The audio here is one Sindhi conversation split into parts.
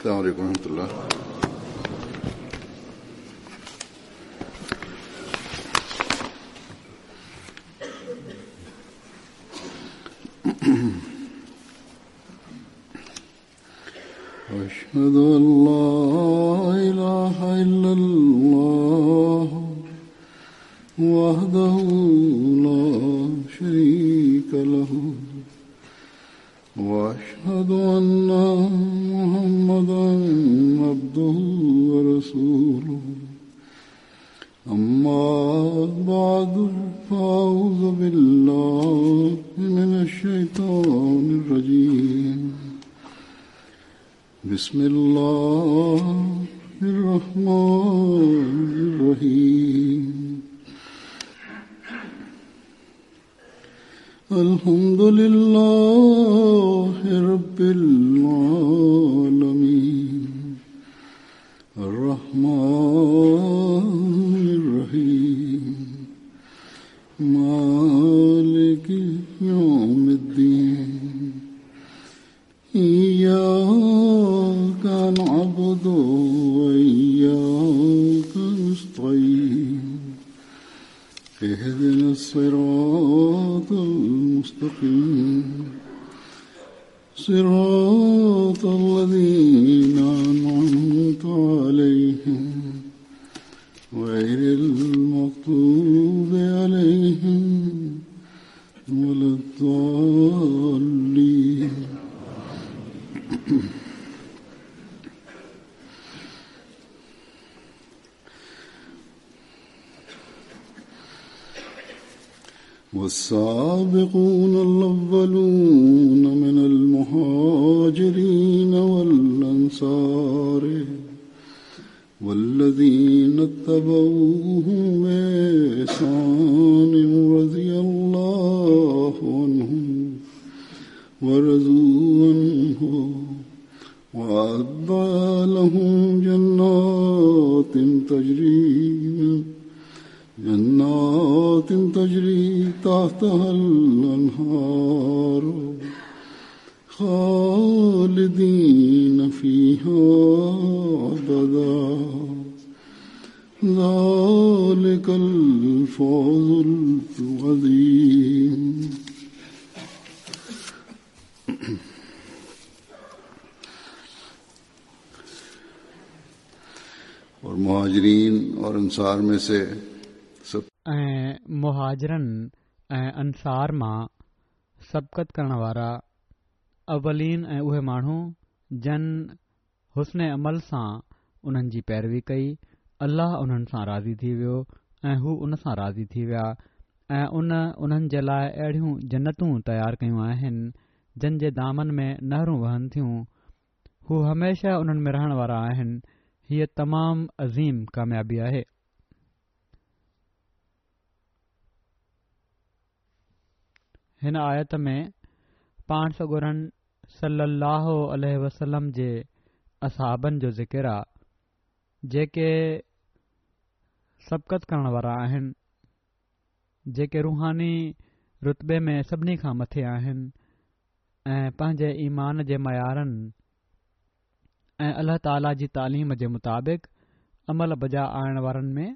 السلام عليڪم ورحمة الله. أشهد أن لا إله إلا الله وحده لا شريك له وأشهد أن محمدا عبده ورسوله أما بعد فأعوذ بالله من الشيطان الرجيم بسم الله الرحمن الرحيم الحمد لله رب العالمين الرحمن الرحيم مالك يوم الدين إياك نعبد وإياك نستعين اهدنا الصراط المستقيم صراط الذين أنعمت عليهم غير المغضوب عليهم ولا الضالين. والسابقون الأولون من المهاجرين والأنصار والذين اتبعوهم بإحسان رضي الله عنهم ورضوا عنه وأعد لهم جنات تجري تحتها الأنهار خالدين فيها أبدا ذلك الفوز العظيم. اور مهاجرين اور انصار میں سے سب ۽ مهاجرن ۽ انصار مان سبقت ڪرڻ وارا اولين ۽ اهي ماڻهو جن حسن عمل سان انهن جي پيروي ڪئي، الله انهن سان راضي ٿي ويو ۽ هو ان سان راضي ٿي ويا ۽ ان انهن جي لاء اهڙيون جنتون تيار ڪيون آهن جن جي دامن ۾ نهرون وهن ٿيون، هو هميشه انهن ۾ رهڻ وارا آهن، هيء تمام عظيم ڪاميابي آهي. هن آيت ۾ پاڻ سڳورن صلّي اللّٰه عليه وسلّم جي اصحابن جو ذڪر آ جيڪي سبقت ڪرڻ وارا آهن، جيڪي روحاني رتبي ۾ سڀني کان مٿي آهن ۽ پنهنجي ايمان جي معيارن ۽ الله تعاليٰ جي تعليم جي مطابق عمل بجا آڻڻ وارن ۾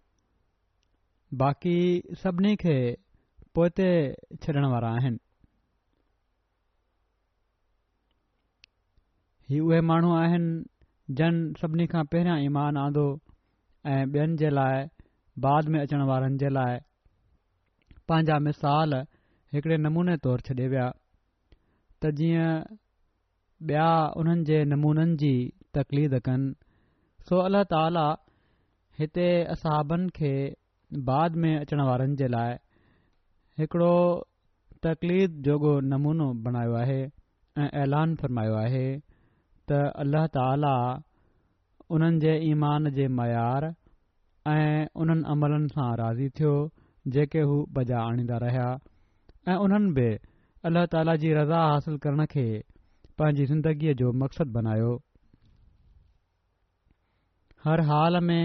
باقي سڀني کي پوئتي ڇڏڻ وارا آهن. هي اهي ماڻهو آهن جن سڀني کان پهريان ايمان آندو ۽ ٻين جي لاء بعد ۾ اچڻ وارن جي لاء پنهنجا مثال هڪڙي نموني طور ڇڏي ويا ته جيئن ٻيا انهن جي نمونن جي تقليد ڪن، سو الله تعاليٰ هتي اصحابن کي بعد ۾ اچڻ وارن جي لاء هڪڙو تقليد جوڳو نمونو بڻايو آهي ۽ اعلان فرمايو آهي ته الله تعاليٰ انهن جي ايمان جي معيار ۽ انهن عملن سان راضي ٿيو جيڪي هو بجا آڻيندا رهيا ۽ انهن به الله تعالي جي رضا حاصل ڪرڻ کي پنهنجي زندگيء جو مقصد بنايو. هر حال ۾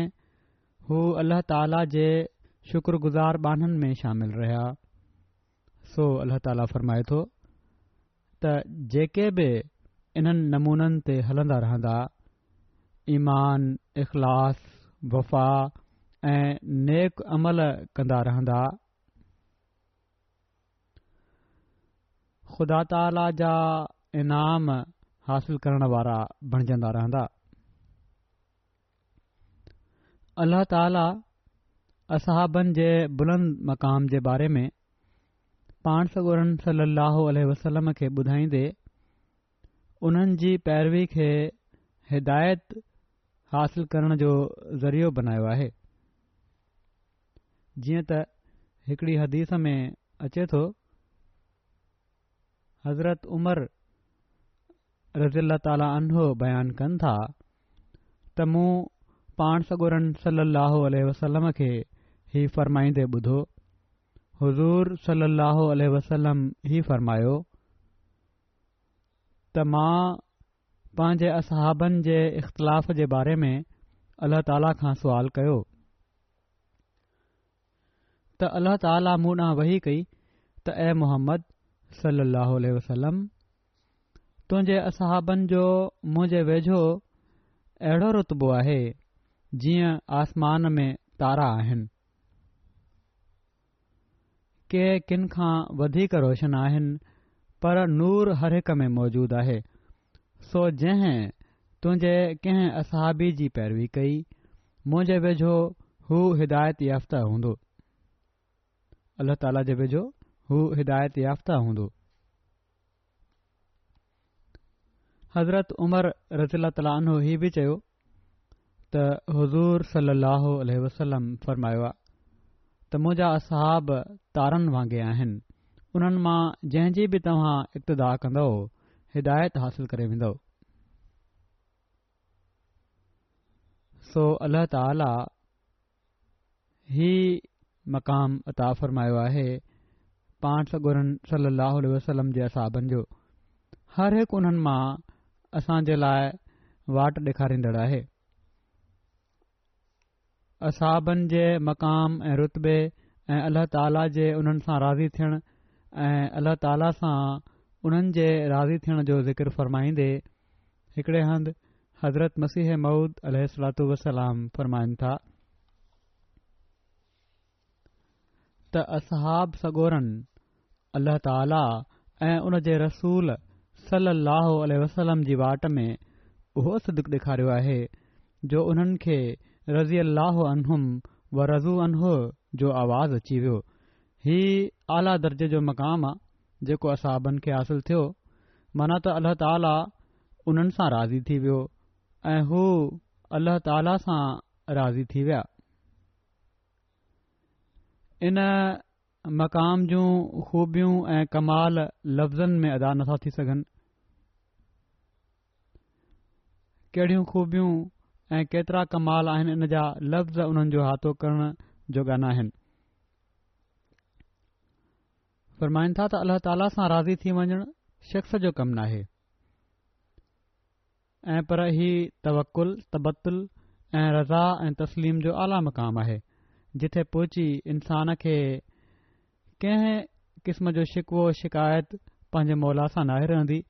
هو الله تعالي جي شڪر گذار ٻانهن ۾ شامل رهيا. سو الله تعالي فرمائي ٿو ته جيڪي به انهن نمونن تي هلندا رهندا. ايمان، اخلاص، وفا ۽ نيڪ عمل ڪندا رهندا. خدا تعاليٰ جا انعام حاصل ڪرڻ وارا بڻجندا رهندا. الله تعاليٰ اصحابن جي بلند مقام جي باري ۾ پاڻ سڳورن صلي الله عليه وسلم کي ٻڌائيندي انهن جي پيروي کي هدايت حاصل ڪرڻ جو ذريعو بنايو آهي. جيئن ته هڪڙي حديث ۾ اچي ٿو، حضرت عمر رضي الله تعالٰي عنه بيان ڪن ٿا ته مون پاڻ سڳورن صلي الله عليه وسلم کي هي فرمائيندي ٻڌو، حضور صلي الله عليه وسلم هي فرمايو ته مان پنهنجي اصحابن جي اختلاف جي باري ۾ الله تعاليٰ کان سوال ڪيو ته الله تعاليٰ مون ڏانهن وحي ڪئي ته اي محمد صلي الله عليه وسلم تنهنجي اصحابن جو منهنجي ويجهو اهڙو رتبو آهي جيئن آسمان ۾ تارا آهن. ڪي ڪن کان وڌيڪ روشن آهن پر نور هر هڪ ۾ موجود آهي سو جنهن تنهنجي ڪنهن اصحابي جي پيروي ڪئي منهنجي ويجهو هو هدايت يافته هوندو الله تعالي جي ويجهو هو هدايت يافته هوندو. حضرت عمر رضي الله تعالٰي عنه هي به چيو ته حضور صلي الله عليه وسلم فرمايو آ ته منهنجا اصحاب تارن وانگي آهن انهن مان جنهن جي به توهان اقتدا ڪندؤ هدايت حاصل ڪري ويندؤ. سو الله تعالي هي مقام عطا فرمايو آهي پاڻ سڳورن صلي الله عليه وسلم جي اصحابن جو هر هڪ انهن مان اسان جي لاء واٽ ڏيکاريندڙ آهي اصحابن جي مقام ۽ رتبي ۽ الله تعالي جي انهن سان راضي ٿيڻ ۽ الله تعالي سان انهن جي راضي ٿيڻ جو ذڪر فرمائيندي هڪڙي هنڌ حضرت مسيح موعود عليه الصلوة والسلام فرمائن ٿا ته اصحاب سڳورن الله تعالي ۽ ان جي رسول صلي الله عليه وسلم جي واٽ ۾ اهو صدق ڏيکاريو آهي جو انهن کي رضي الله عنهم ورضوا عنه جو آواز اچي ويو. هي اعليٰ درجي جو مقام آ جيڪو اصحابن کي حاصل ٿيو، معنيٰ ته الله تعاليٰ انهن سان راضي ٿي ويو ۽ هو الله تعاليٰ سان راضي ٿي ويا. ان مقام جون خوبيون ۽ ڪمال لفظن ۾ ادا نٿا ٿي سگهن. ڪهڙيون خوبيون ۽ ڪيترا ڪمال آهن ان جا لفظ انهن جو احاطو ڪرڻ جوڳا ناهن. فرمائن ٿا ته الله تعاليٰ سان راضي ٿي وڃڻ شخص جو ڪم ناهي ۽ پر هي توڪل، تبتل ۽ رضا ۽ تسليم جو اعليٰ مقام آهي جتي پهچي انسان کي ڪنهن قسم جو شڪوو شڪايت پنهنجي مولا سان ناهي رهندي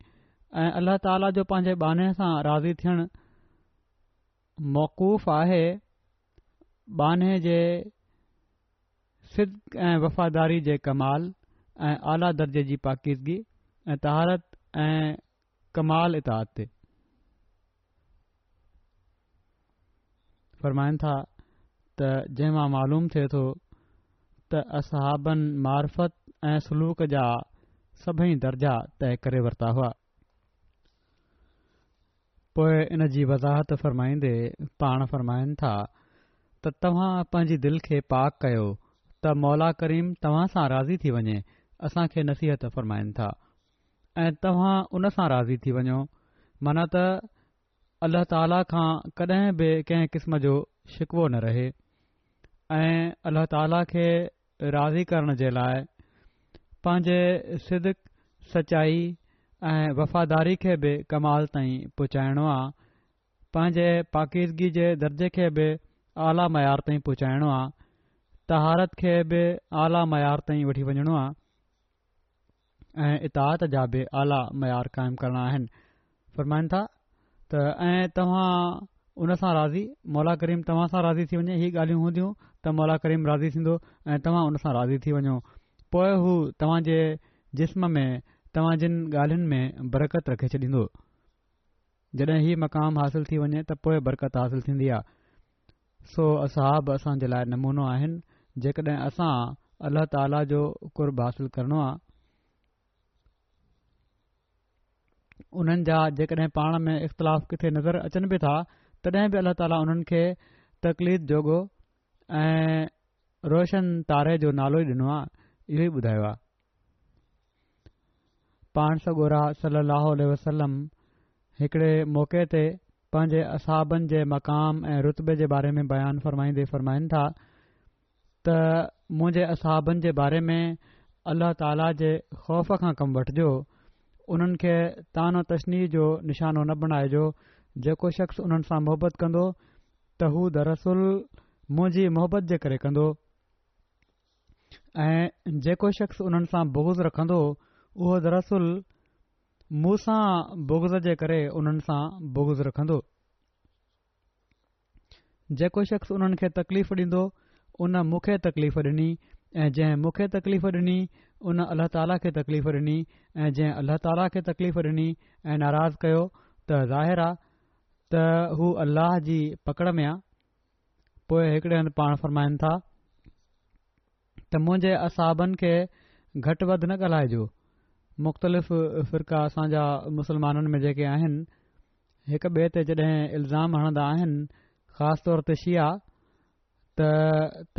۽ الله تعاليٰ جو پنهنجي ٻانهي سان راضي ٿيڻ موقوف آهي ٻانهي جي صدق ۽ وفاداري جي ڪمال ۽ اعليٰ درجي جي پاڪيزگي ۽ طهارت ۽ ڪمال اطاعت تي. فرمائن ٿا ته جنهن مان معلوم ٿئي ٿو ته اصحابن معرفت ۽ سلوڪ جا سڀئي درجا طئي ڪري ورتا هئا. پوء ان جي وضاحت فرمائيندي پاڻ فرمائن ٿا ته توهان پنهنجي دل کي پاڪ ڪيو ته مولا ڪريم توهان سان راضي ٿي وڃي اسان کي نصيحت فرمائن ٿا ۽ توهان ان سان راضي ٿي وڃو معنيٰ ته الله تعاليٰ کان ڪڏهن به ڪنهن قسم جو شڪوو نه رهي ۽ الله تعاليٰ کي راضي ڪرڻ جي لاء پنهنجي صدق، سچائي ۽ وفاداري کي به ڪمال تائين پهچائڻو آ، پنهنجي پاڪيزگي جي درجي کي به اعليٰ معيار تائين پهچائڻو آ، طهارت کي به اعليٰ معيار تائين وٺي وڃڻو آ ۽ اطاعت جا به اعليٰ معيار قائم ڪرڻا آهن. فرمائن ٿا ته ۽ توهان ان سان راضي، مولا ڪريم توهان سان راضي ٿي وڃي، هي ڳالهيون هونديون ته مولا ڪريم راضي ٿيندو ۽ توهان ان سان راضي ٿي وڃو، پوء هو توهان جي جسم ۾ توهان جن ڳالهين ۾ برڪت رکي ڇڏيندو. جڏهن هي مقام حاصل ٿي وڃي ته پوء برڪت حاصل ٿيندي آ. سو اصحاب اسان جي لاء نمونو آهن، جيڪڏهن اسان الله تعاليٰ جو قرب حاصل ڪرڻو آ، انهن جا جيڪڏهن پاڻ ۾ اختلاف ڪٿي نظر اچن به ٿا تڏهن به الله تعاليٰ انهن کي تقليد جوڳو ۽ روشن تاري جو نالو ئي ڏنو آهي اهو ئي ٻڌايو آهي پاڻ سڳورا صلي الله عليه وسلم هڪڙي موقعي تي پنهنجي اصحابن جي مقام ۽ رتبي جي باري ۾ بيان فرمائيندي فرمائن ٿا ته منهنجي اصحابن جي باري ۾ الله تعاليٰ جي خوف کان ڪم وٺجو، انهن کي طعن و تشنيع جو نشانو نه بڻائجو، جيڪو شخص انهن سان محبت ڪندو ته هو دراصل منهنجي محبت جي ڪري ڪندو ۽ جيڪو شخص انهن سان بغض رکندو اهو دراصل مون سان بغض جي ڪري انهن سان بغض رکندو. جيڪو شخص انهن کي تڪليف ڏيندو ان مون کي تڪليف ڏني ۽ جنهن مون کي تڪليف ڏني ان الله تعاليٰ کي تڪليف ڏني ۽ جنهن الله تعاليٰ کي تڪليف ڏني ۽ ناراض ڪيو ته ظاهر آ ته هو الله جي پڪڙ ۾ آ. پوء هڪڙي هنڌ پاڻ فرمائن ٿا ته منهنجي اصحابن کي گهٽ وڌ نه ڳالهائجو. مختلف فرقا اسان جا مسلمانن ۾ جيڪي آهن هڪ ٻئي تي جڏهن الزام هڻندا آهن خاص طور تي شيعا ته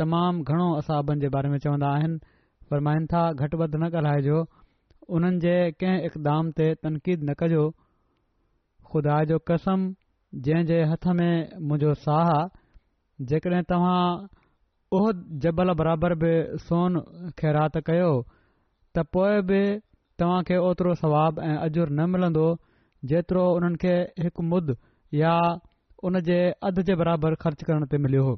تمام گهڻو اصحابن جي باري ۾ چوندا آهن فرمائن ٿا گهٽ وڌ نه ڳالهائجو انهن جي ڪنهن اقدام تي تنقيد نه ڪجو خدا جو قسم جنهن جي هٿ ۾ منهنجو ساهه آ جيڪڏهن توهان احد جبل برابر به سون خيرات ڪيو ته پوء به توهان کي اوترو ثواب ۽ اجر نه ملندو جيترو انهن کي هڪ مد يا ان جي اڌ جي برابر خرچ ڪرڻ تي مليو هو.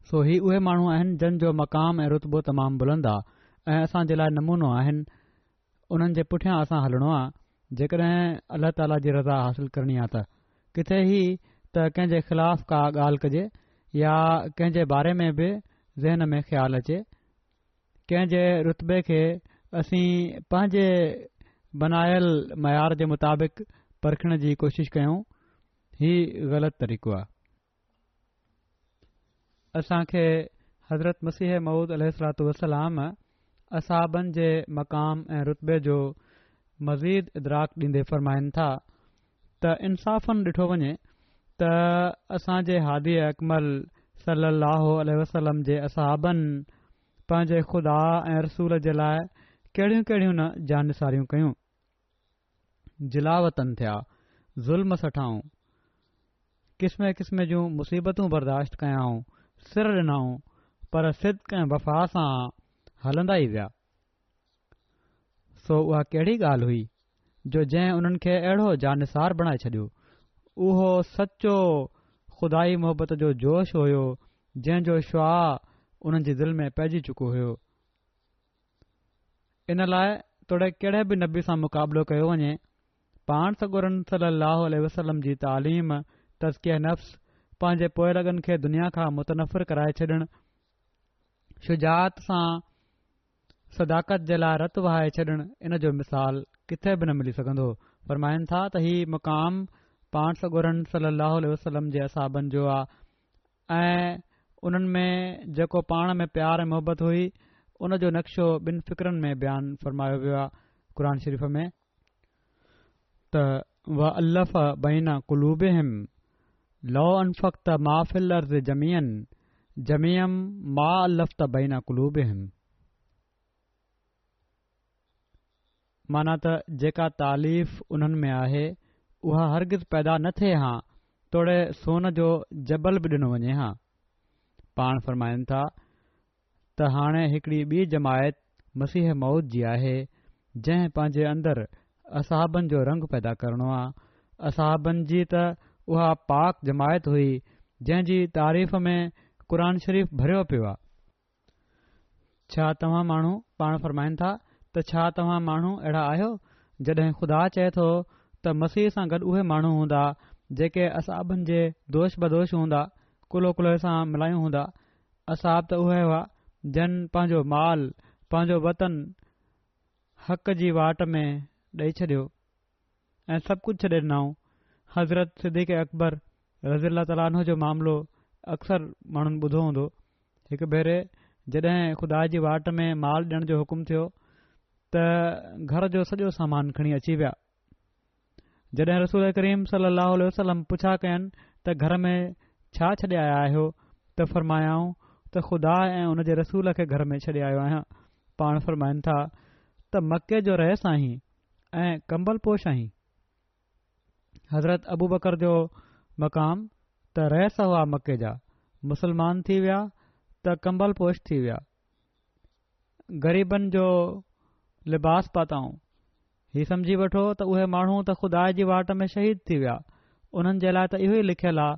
سو هي اهي ماڻهو آهن جن جو مقام ۽ رتبو تمام بلند آ ۽ اسان جي لاء نمونو آهن. انهن جي پٺيان اسان هلڻو آ جيڪڏهن الله تعاليٰ جي رضا حاصل ڪرڻي آ ته. ڪٿي هي ته ڪنهن جي خلاف ڪا ڳالهه ڪجي يا ڪنهن جي باري ۾ به ذهن ۾ خيال اچي. ڪنهن جي رتبي کي اسين پنهنجي بنايل معيار جي مطابق پرکڻ جي ڪوشش ڪيون هي غلط طريقو آهي. اسان کي حضرت مسيح موعود عليه الصلوة والسلام اصحابن جي مقام ۽ رتبي جو مزيد ادراڪ ڏيندي فرمائن ٿا ته انصافاً ڏٺو وڃي ته اسان جي هادي اڪمل صلّي اللّٰه عليه وسلّم جي اصحابن پنهنجي خدا ۽ رسول جي لاء ڪهڙيون ڪهڙيون نه جانثاريون ڪيون. جلاوطن ٿيا، ظلم سٺائون، قسمين قسمين جون مصيبتون برداشت ڪيائون، سر ڏنائون، پر صدق ۽ وفا سان هلندا ئي ويا. سو اها ڪهڙي ڳالهه هئي جو جنهن انهن کي اهڙو جانثار بڻائي ڇڏيو. اهو سچو خدائي محبت جو جوش هيو جنهن جو شعاع انهن جي دل ۾ پئجي چڪو هيو. ان لاء توڙي ڪهڙي به نبي سان مقابلو ڪيو وڃي، پاڻ سڳورن صلّي اللّٰه عليه وسلّم جي تعليم، تزڪيه نفس، پنهنجي پوئلڳن کي دنيا کان متنفر ڪرائي ڇڏڻ، شجاعت سان صداقت جي لاء رت وهائي ڇڏڻ ان جو مثال ڪٿي به نه ملي سگهندو. فرمائن ٿا ته هي مقام پاڻ سڳورن صلي الله عليه وسلم جي اصحابن جو آ ۽ انهن ۾ جيڪو پاڻ ۾ پيار ۽ محبت هئي ان جو نقشو ٻن فقرن ۾ بيان فرمايو ويو آ قرآن شريف ۾. ته وَأَلَّفَ بَيْنَ قُلُوبِهِمْ لو انفقت ما في الارض جميعا جميعا ما الفت بين قلوبهم معنيٰ ته جيڪا تاليف انهن ۾ آهي اها هرگز پيدا نه ٿئي هان توڙي سون جو جبل به ڏنو وڃي هان. پاڻ فرمائن ٿا ته هاڻي هڪڙي ٻي جماعت مسيح موعود جي آهي، جنهن پنهنجي اندر اصحابن جو رنگ پيدا ڪرڻو آ. اصحابن جي ته اها پاڪ جماعت هئي، جنهن جي تعريف ۾ قرآن شريف ڀريو پيو آ. ڇا توهان ماڻهو، پاڻ فرمائن ٿا ته ڇا توهان ماڻهو اهڙا آهيو، جڏهن خدا چئي ٿو ته مسيح سان گڏ اهي ماڻهو هوندا، جيڪي اصحابن جي دوش بدوش هوندا، ڪلهو ڪلهي سان ملايون هوندا. اصحاب ته اهي هئا، جن پنهنجو مال، پنهنجو وطن حق جي واٽ ۾ ڏئي ڇڏيو ۽ سڀ ڪجهه ڇڏي ڏنائون. حضرت صديق اڪبر رضي الله تعالٰي عنه جو معاملو اڪثر ماڻهن ٻڌو هوندو. هڪ ڀيري جڏهن خدا جي واٽ ۾ مال ڏيڻ جو حڪم ٿيو ته گهر جو سڄو سامان کڻي اچي ويا. جڏهن رسول ڪريم صلي الله عليه وسلم پڇا ڪين ته گهر ۾ ڇا ڇڏي آيا آهيو ته فرمايائون ته خدا ۽ ان جي رسول کي گهر ۾ ڇڏي آيو آهيان. پاڻ فرمائن ٿا ته مڪي جو رئيس آهين ۽ ڪمبل پوش آهين. حضرت ابوبڪر جو مقام ته رئيس هئا مڪي جا، مسلمان ٿي ويا ته ڪمبل پوش ٿي ويا. غريبن جو لباس پاتائون. هي سمجهي وٺو ته اهي ماڻهو ته خدا جي واٽ ۾ شهيد ٿي ويا. انهن جي لاء ته اهو ئي لکيل آ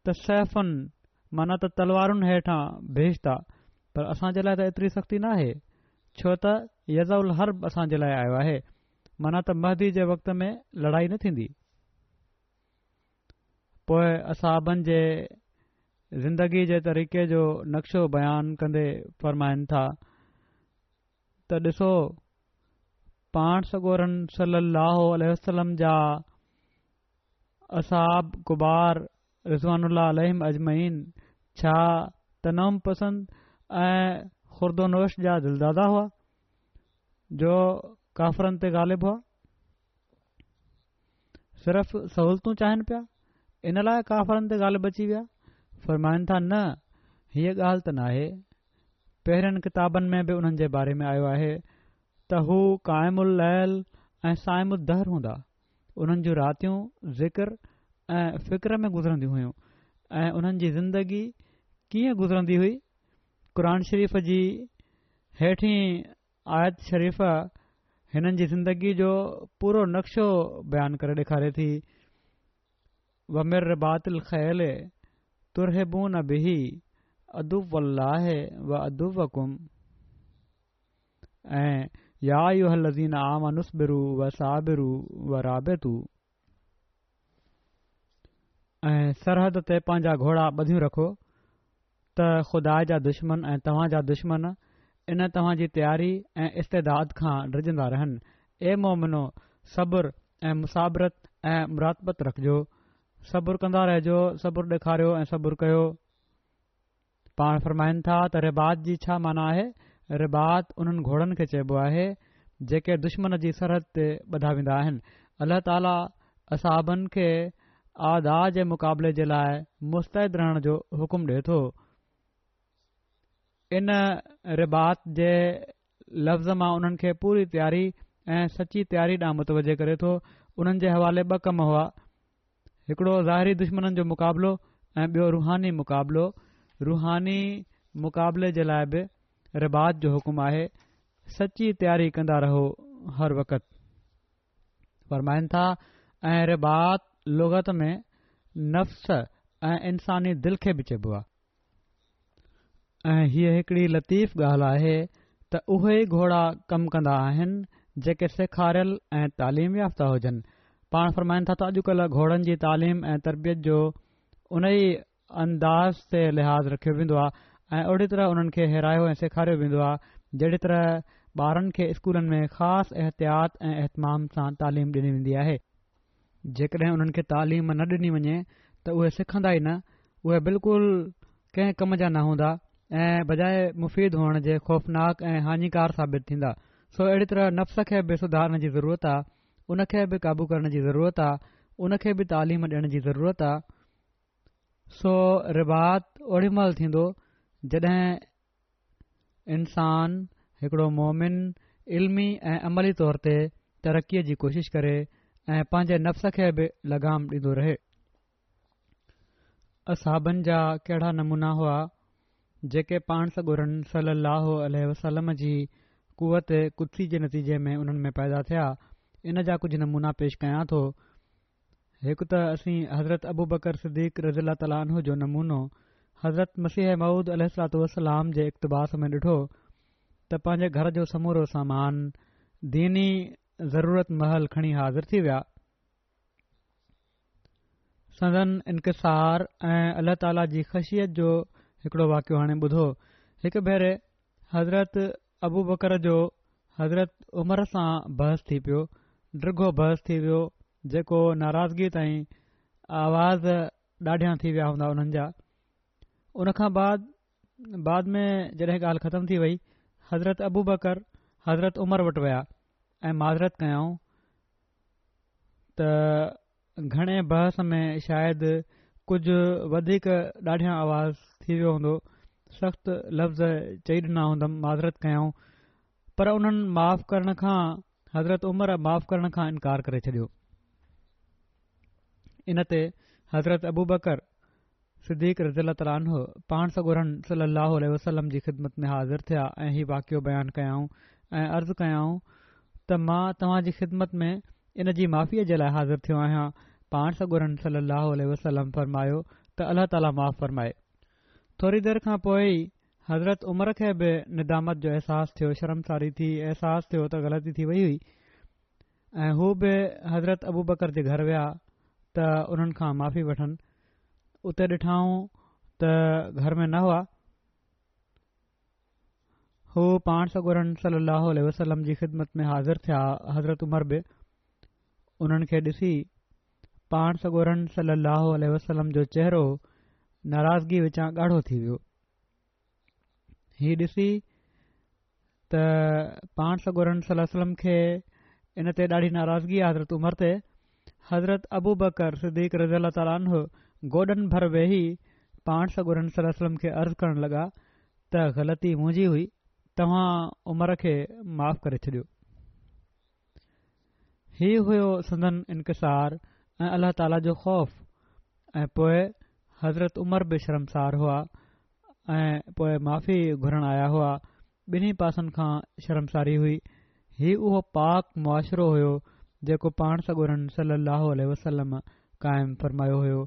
ته سيفن معنيٰ ته تلوارن هيٺان بهشت آ. پر اسان جي لاء ته ايتري سختي ناهي. ڇو ته يضع الحرب اسان جي لاء آيو آهي. معنيٰ ته مهدي جي وقت ۾ لڙائي نه ٿيندي. پوء اصحابن جي زندگي جي طريقي جو نقشو بيان ڪندي فرمائن ٿا ته ڏسو پاڻ سڳورن صلي الله عليه وسلم جا اصحاب ڪبار رضوان الله عليهم اجمعين ڇا تنعم پسند ۽ خوردونوش جا دلداده هئا جو ڪافرن تي غالب هئا؟ صرف سهولتون چاهين پيا ان لاء ڪافرن تي غالب اچي ويا؟ فرمائن ٿا نه هيء ڳالهه ته ناهي پهرين ڪتابن ۾ به انهن جي باري ۾ آيو آهي ته هو قائم الليل ۽ صائم الدهر هوندا انهن جون راتيون ذڪر ۽ فڪر ۾ گذرنديون هيون ۽ انهن جي زندگي ڪيئن گذرندي هئي قرآن شريف جي هيٺين آيت شريفه هنن جي زندگي جو پورو نقشو بيان ڪري ڏيکاري ٿي، ومن رباط الخيل ترهبون به عدو الله وعدوڪم ۽ يا ايها الذين آمنوا اصبروا وصابروا ورابطوا ۽ سرحد تي پنهنجا گهوڙا ٻڌيون رکو ته خدا جا دشمن ۽ توهان جا دشمن ان توهان جي تياري ۽ استعداد کان ڊڄندا رهن. اي مؤمنو! صبر ۽ مصابرت ۽ مراقبت رکجو. صبر ڪندا رهجو، صبر ڏيکاريو ۽ صبر ڪيو. پاڻ فرمائن ٿا ته رباط جي ڇا معنيٰ آهي؟ رباط انهن گهوڙن کي چئبو آهي، جيڪي دشمن جي سرحد تي ٻڌا ويندا آهن. الله تعاليٰ اصحابن کي اعداء جي مقابلي جي لاء مستعد رهڻ جو حڪم ڏئي ٿو. ان رباط جي لفظ مان انهن کي پوري تياري ۽ سچي تياري ڏانهن متوجه ڪري ٿو. انهن جي حوالي ٻه ڪم هئا. هڪڙو ظاهري دشمنن جو مقابلو ۽ ٻيو روحاني مقابلو. روحاني مقابلي جي لاء به رباط جو حڪم آهي. سچي تياري ڪندا رهو هر وقت. فرمائن ٿا، ۽ رباط لغت ۾ نفس ۽ انساني دل کي به چئبو آهي. ۽ هيء هڪڙي لطيف ڳالهه آهي ته اهي ئي گهوڙا ڪم ڪندا آهن جيڪي سيکاريل ۽ تعليم يافته هجن. پاڻ فرمائن ٿا ته اڄڪلهه گهوڙن جي تعليم ۽ تربيت جو انهي انداز تي لحاظ رکيو ويندو آهي ۽ اهڙي طرح انهن کي هيرايو ۽ سيکاريو ويندو آهي جهڙي طرح ٻارن کي اسڪولن ۾ خاص احتياط ۽ اهتمام سان تعليم ڏني ويندي آهي. جيڪڏهن انهن کي تعليم نه ڏني وڃي ته اهي سکندا ئي نه، اهي بلڪل ڪنهن ڪم جا نه هوندا ۽ بجاء مفيد هئڻ جي خوفناڪ ۽ هاڃيڪار ثابت ٿيندا. سو اهڙي طرح نفس کي به سڌارڻ جي ضرورت آهي، ان کي به قابو ڪرڻ جي ضرورت آهي، ان کي به تعليم ڏيڻ جي ضرورت آهي. سو رباط اوڏي مهل ٿيندو جڏهن انسان هڪڙو مومن علمي ۽ عملي طور تي ترقيء جي ڪوشش ڪري ۽ پنهنجي نفس کي به لگام ڏيندو رهي. اصحابن جا ڪهڙا نمونا هئا جيڪي پاڻ سڳورن صلي الله عليه وسلم جي قوت قدسي جي نتيجي ۾ انهن ۾ پيدا ٿيا ان جا ڪجهه نمونا پيش ڪيان ٿو. هڪ ته اسين حضرت ابوبڪر صديق رضي الله تعالٰي عنه جو نمونو حضرت مسيح موعود عليه الصلوة والسلام جي اقتباس ۾ ڏٺو ته پنهنجي گهر جو سمورو سامان ديني ضرورت مهل کڻي حاضر ٿي ويا. سندن انڪسار ۽ الله تعاليٰ جي خشيت جو هڪڙو واقعو هاڻي ٻڌو. هڪ ڀيري حضرت ابوبڪر جو حضرت عمر سان بحث ٿي پيو، ڊگهو بحث ٿي ويو جيڪو ناراضگي تائين آواز ڏاڍيان ٿي ويا هوندا انهن جا. ان کان بعد بعد ۾ جڏهن ڳالهه ختم ٿي وئي حضرت ابوبڪر حضرت عمر وٽ ويا ۽ معذرت ڪيائون ته گهڻي بحث ۾ شايد ڪجهه وڌيڪ ڏاڍيان آواز ٿي ويو هوندو، سخت لفظ چئي ڏنا هوندم، معذرت ڪيائون، پر انهن معاف ڪرڻ کان حضرت عمر معاف ڪرڻ کان انڪار ڪري ڇڏيو. ان تي حضرت ابوبڪر صديق رضي الله تعالٰي عنه پاڻ سڳورن صلّي اللّٰه عليه وسلّم جي خدمت ۾ حاضر ٿيا ۽ هي واقعو بيان ڪيائون ۽ عرض ڪيائون ته مان توهان جي خدمت ۾ ان جي معافيء جي لاء حاضر ٿيو آهيان. پاڻ سڳورن صلّي اللّٰه عليه وسلّم فرمايو ته الله تعالٰي معاف فرمائي. ٿوري دير کان پوء ئي حضرت عمر کي به ندامت جو احساس ٿيو، شرمساري ٿي، احساس ٿيو ته غلطي ٿي وئي هئي. ۽ هو به حضرت ابوبڪر جي گهر ويا ته انهن کان معافي وٺن. اتي ڏٺائون ته گهر ۾ نه هئا. هو پاڻ سڳورن صلي الله عليه وسلم جي خدمت ۾ حاضر ٿيا. حضرت عمر به انهن کي ڏسي پاڻ سڳورن صلي الله عليه وسلم جو چهرو ناراضگي وچان ڳاڙهو ٿي ويو. هي ڏسي ته پاڻ سڳورن صلي الله عليه وسلم کي ان تي ڏاڍي ناراضگي آهي حضرت عمر تي حضرت ابو بڪر صديق رضي الله تعالٰي عنه گوڏن ڀر ويهي پاڻ سڳورن صلي الله عليه وسلم کي عرض ڪرڻ لڳا ته غلطي منهنجي هئي توهان عمر کي معاف ڪري ڇڏيو هي هيو سندن انڪسار ۽ الله تعاليٰ جو خوف ۽ پوء حضرت عمر به شرمسار هئا ۽ پوء معافي گهرڻ آيا هئا، ٻنهي پاسن کان شرمساري هئي، هي اهو پاڪ معاشرو هيو جيڪو پاڻ سڳورن صلّي اللّٰه عليه وسلّم قائم فرمايو هيو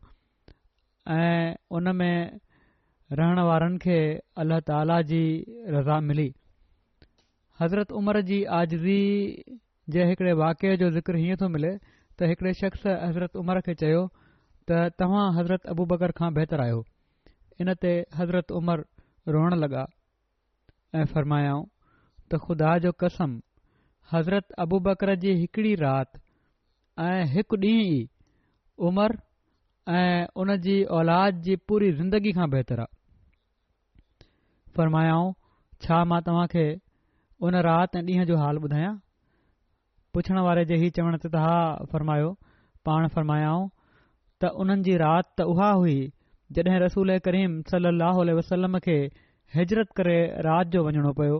۽ ان ۾ رهڻ وارن کي الله تعاليٰ جي رضا ملي. حضرت عمر جي عاجزي جي هڪڙي واقعي جو ذڪر هيئن ٿو ملي ته هڪڙي شخص حضرت عمر کي چيو ته توهان حضرت ابوبڪر کان بهتر آهيو. ان تي حضرت عمر روئڻ لڳا ۽ فرمايائون ته خدا جو قسم حضرت ابوبڪر جي هڪڙي رات ۽ هڪ ڏينهن ئي عمر ۽ ان جي اولاد جي پوري زندگي کان بهتر آ. فرمايائون، ڇا مان توهان کي ان رات ۽ ڏينهن جو حال ٻڌايان؟ پڇڻ واري جي هي چوڻ تي ته ها فرمايو، پاڻ فرمايائون ته انهن جي رات ته اها هئي جڏهن رسول ڪريم صلي الله عليه وسلم کي هجرت ڪري رات جو وڃڻو پيو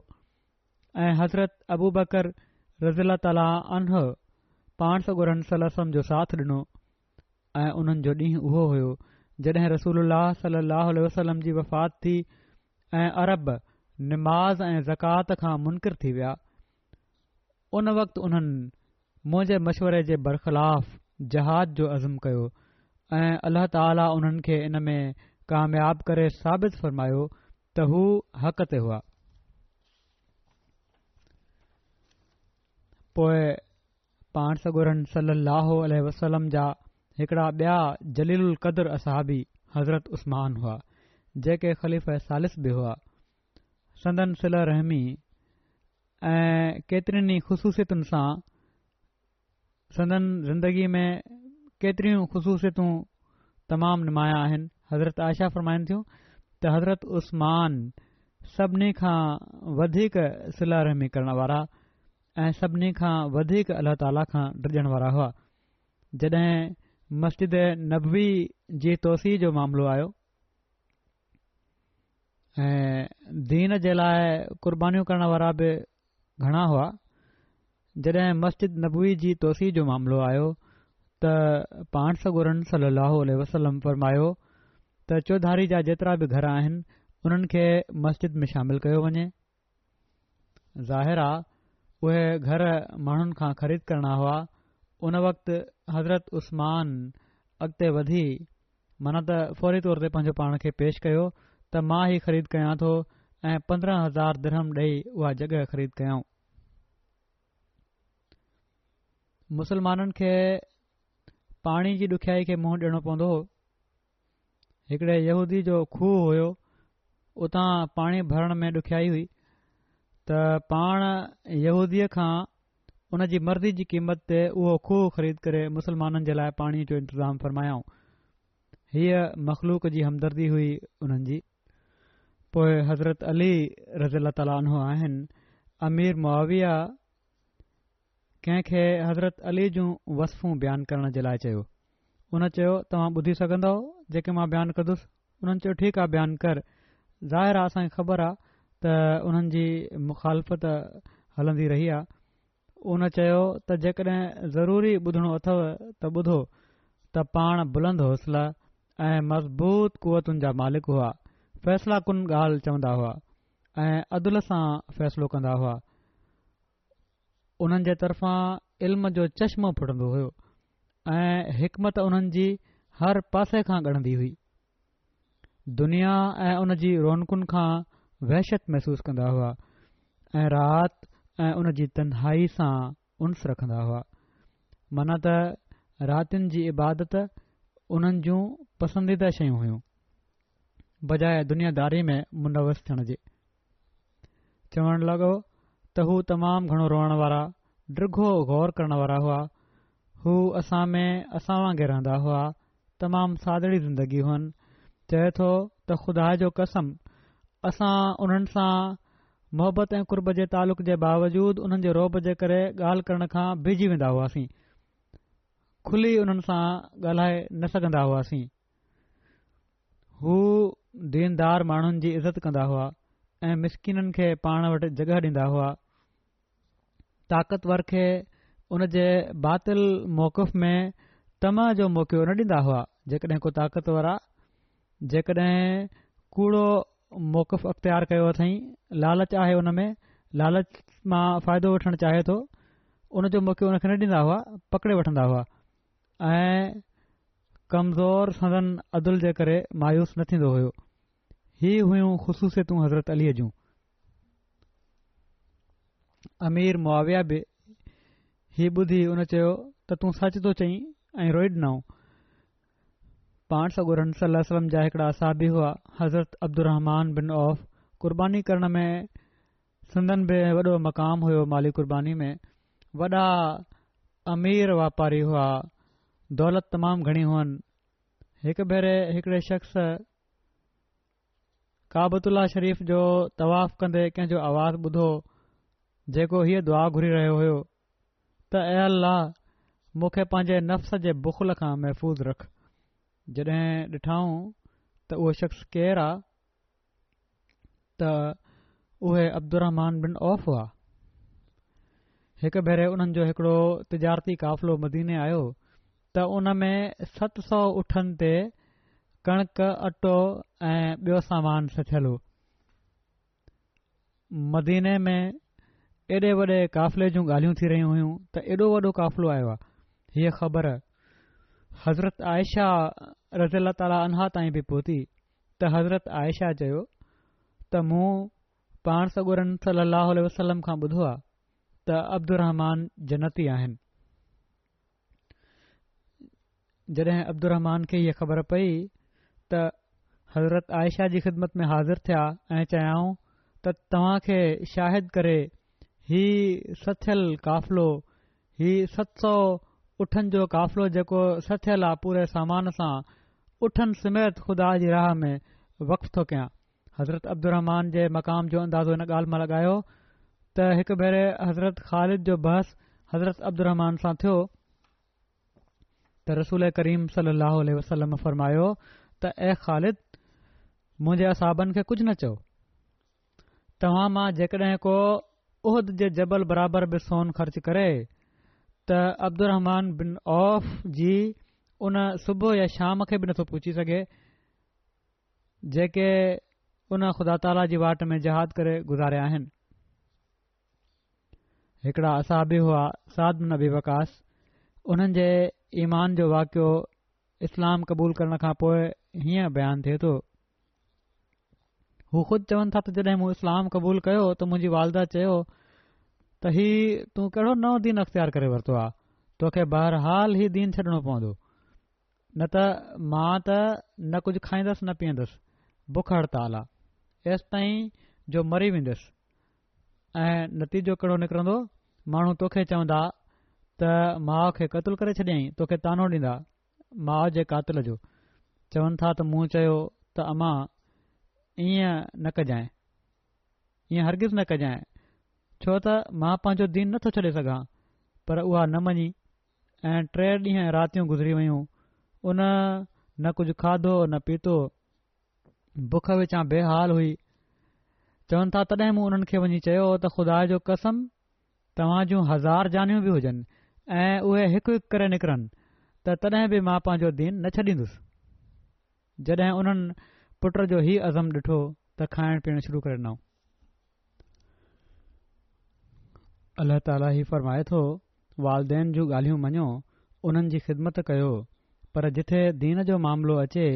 ۽ حضرت ابوبڪر رضي الله تعالٰي عنه پاڻ سڳورن صلي الله عليه وسلم جو ساٿ ڏنو. ۽ انهن جو ڏينهن اهو هيو جڏهن رسول الله صلي الله عليه وسلم جي وفات ٿي ۽ عرب نماز ۽ زڪوات کان منڪر ٿي ويا ان وقت انهن منهنجي مشوري جي برخلاف جهاد جو عزم ڪيو ۽ الله تعالي انهن کي ان ۾ ڪامياب ڪري ثابت فرمايو ته هو حق تي هئا. پوء پاڻ سڳورن صلّي اللّٰه عليه وسلّم جا هڪڙا ٻيا جليل القدر اصحابي حضرت عثمان هئا، جيڪي خليفه ثالث به هئا. سندن صله رحمي ۽ ڪيترين ئي خصوصيتن سان سندن زندگي ۾ ڪيتريون خصوصيتون تمام نمايان آهن. حضرت عائشه فرمائن ٿيون ته حضرت عثمان سڀني کان وڌيڪ صله رحمي ڪرڻ وارا ۽ سڀني کان وڌيڪ الله تعاليٰ کان ڊڄڻ وارا هئا. جڏهن مسجد نبوي جي توسيع جو معاملو آيو ۽ دين جي لاء قربانيون ڪرڻ وارا به گهڻا هئا، جڏهن مسجد نبوي جي توسيع جو معاملو آيو ته پاڻ سڳورن صلي الله عليه وسلم فرمايو ته چوڌاري جا جيترا به گهر آهن انهن کي مسجد ۾ شامل ڪيو وڃي. ظاهر آ اهي گهر ماڻهن کان خريد ڪرڻا هئا، ان وقت حضرت عثمان اڳتي وڌي معنيٰ ته فوري طور تي پنهنجو پاڻ کي پيش ڪيو ته مان هي خريد ڪيان ٿو ۽ 15,000 درهم ڏئي اها جڳهه خريد ڪيائون. مسلمانن کي پاڻي جي ڏکيائي کي منهن ڏيڻو پوندو هو. هڪڙي يهودي جو کوهه هيو، اتان پاڻي ڀرڻ ۾ ڏکيائي هئي ته پاڻ يهوديء کان ان جي مرضي جي قيمت تي اهو کوهه خريد ڪري مسلمانن جي لاء پاڻي جو انتظام فرمايائون. هيء مخلوق جي همدردي هئي انهن جي. پوء حضرت علي رضي الله تعالٰي عنه آهن، امير معاويه ڪنهن کي حضرت علي جون وصفون بيان ڪرڻ جي لاء چيو. ان چيو، توهان ٻڌي سگهندؤ جيڪي مان بيان ڪندس؟ انهن چيو، ٺيڪ آ بيان ڪر. ظاهر آ اسان کي خبر آ ته انهن جي مخالفت هلندي رهي آ. ان چيو ته جيڪڏهن ضروري ٻڌڻو اٿو ته ٻڌو ته پاڻ بلند حوصله ۽ مضبوط قوتن جا مالڪ هئا، فيصله ڪن ڳالهه چوندا هئا ۽ عدل سان فيصلو ڪندا هئا. انهن جي طرفان علم جو چشمو ڦٽندو هيو ۽ حڪمت انهن جي هر پاسي کان ڳڙندي هئي. دنيا ۽ ان جي رونقن کان وحشت محسوس ڪندا هئا ۽ رات ۽ ان جي تنهائي سان انس رکندا هئا. معنيٰ ته راتين جي عبادت انهن جون پسنديده شيون هيون، بجاء دنيا داري ۾ ملوث ٿيڻ جي. چوڻ لڳو ته هو تمام گهڻو روئڻ وارا، ڊگهو غور ڪرڻ وارا هئا. هو اسان ۾ اسان وانگي رهندا هئا، تمام سادڙي زندگي هئن. چئي ٿو ته خدا جو قسم اسان انهن سان محبت ۽ قرب جي تعلق جي باوجود انهن جي رعب جي ڪري ڳالهه ڪرڻ کان بيهجي ويندا هئاسين. کلي انهن سان ڳالهائي نه سگهندا هئاسين. هو ديندار ماڻهن جي عزت ڪندا هئا ۽ مسڪينن کي پاڻ وٽ جڳهه ڏيندا هئا. طاقتور کي ان جي باطل موقف ۾ طمع جو موقعو نه ڏيندا هئا جيڪڏهن ڪو طاقتور آ جيڪڏهن ڪوڙو موقف اختيار ڪيو اٿئين لالچ آهي ان ۾ لالچ مان فائدو وٺڻ چاهي ٿو ان جو موقعو ان کي نه ڏيندا هئا پڪڙي وٺندا هئا ۽ ڪمزور سندن عدل جي ڪري مايوس نه ٿيندو هيو هي هيون خصوصيتون حضرت علي جون امير معاويه به هي ٻڌي ان چيو ته تون سچ ٿو چئين ۽ روئي ڏنائون. پاڻ سڳورن صلي الله عليه وسلم جا هڪڙا اصحابي هئا حضرت عبدالرحمان بن عوف قرباني ڪرڻ ۾ سندن به وڏو مقام هيو مالي قرباني ۾ وڏا امير واپاري هئا دولت تمام گهڻي هئن هڪ ڀيري هڪڙي شخص ڪعبة الله شريف جو طواف ڪندي ڪنهن جو آواز ٻڌو جيڪو هيء دعا گهري رهيو هيو ته اي الله مون کي پنهنجي نفس جي بخل کان محفوظ رک. جڏهن ڏٺائون ته اهو شخص ڪير آ ته اهي عبدالرحمان بن عوف هئا. هڪ ڀيري انهن جو هڪڙو تجارتي قافلو مديني آيو ته ان ۾ 700 اٺن تي ڪڻڪ، اٽو ۽ ٻيو سامان سٿيل هو. مديني ۾ ايڏي وڏي قافلي جون ڳالهيون ٿي رهيون هيون ته ايڏو وڏو قافلو آيو آهي. هيء خبر حضرت عائشه رضي الله تعالٰي عنها تائين به پهتي ته حضرت عائشه چيو ته مون پاڻ سڳورن صلي الله عليه وسلم کان ٻڌو آهي ته عبدالرحمان جنتي آهن. جڏهن عبدالرحمان کي هيء خبر پئي ته حضرت عائشه جي خدمت ۾ حاضر ٿيا ۽ چيائون ته توهان کي شاهد ڪري هي سٿيل قافلو هي 700 اٺن جو قافلو جيڪو سٿيل آ پوري سامان سان اٺن سميت خدا جي راهه ۾ وقف ٿو ڪيان حضرت عبدالرحمان جي مقام جو اندازو ان ڳالهه مان لڳايو ته هڪ ڀيري حضرت خالد جو بحث حضرت عبدالرحمان سان ٿيو ته رسول ڪريم صلي الله عليه وسلم فرمايو ته اي خالد منهنجي اصحابن کي ڪجهه نه چئو توهان مان جيڪڏهن ڪو احد جي جبل برابر به سون خرچ ڪري ته عبدالرحمان بن عوف جي ان صبح يا شام کي به نٿو پهچي سگهي جيڪي ان خدا تعاليٰ جي واٽ ۾ جهاد ڪري گذاريا آهن. هڪڙا اصحابي هئا سعد بن ابي وقاص انهن جي ايمان جو واقعو اسلام قبول ڪرڻ کان پوء هيئن بيان ٿئي ٿو. هو خود چون ٿا ته جڏهن مون اسلام قبول ڪيو ته منهنجي والده چيو ته هي تون ڪهڙو نئون دين اختيار ڪري ورتو آهي توکي بهرحال هي دين ڇڏڻو پوندو. نه ته مان ته نه ڪجهه کائيندس نه پيئندس، بک هڙتال آ، ايستائين جو مري ويندس ۽ نتيجو ڪهڙو نڪرندو، ماڻهو توکي چوندا ته ماء کي قتل ڪري ڇڏيائين، توکي طعنو ڏيندا، ماء جي قاتل جو. چون ٿا ته مون چيو ته امان ائين نه ڪجانء، ائين هرگز نه ڪجانء، ڇو ته مان پنهنجو دين نه ٿو ڇڏي سگهان، پر اها نه مڃي ۽ ٽي ڏينهن ۽ راتيون گذري ويون، ان نه ڪجهه کاڌو نه پيتو، بک وچان بي حال هئي. چون ٿا تڏهن مون انهن کي وڃي چيو ته خدا جو قسم توهان جون هزار جانيون به هجن ۽ اهي هڪ هڪ ڪري نڪرن ته تڏهن به مان پنهنجو دين نه ڇڏيندس. جڏهن انهن پٽ جو هي عزم ڏٺو ته کائڻ پيئڻ شروع ڪري ڏنائون. الله تعاليٰ هي فرمائي ٿو، والدين جون ڳالهيون مڃو، انهن جي خدمت ڪيو، پر جٿي دين جو معاملو اچي،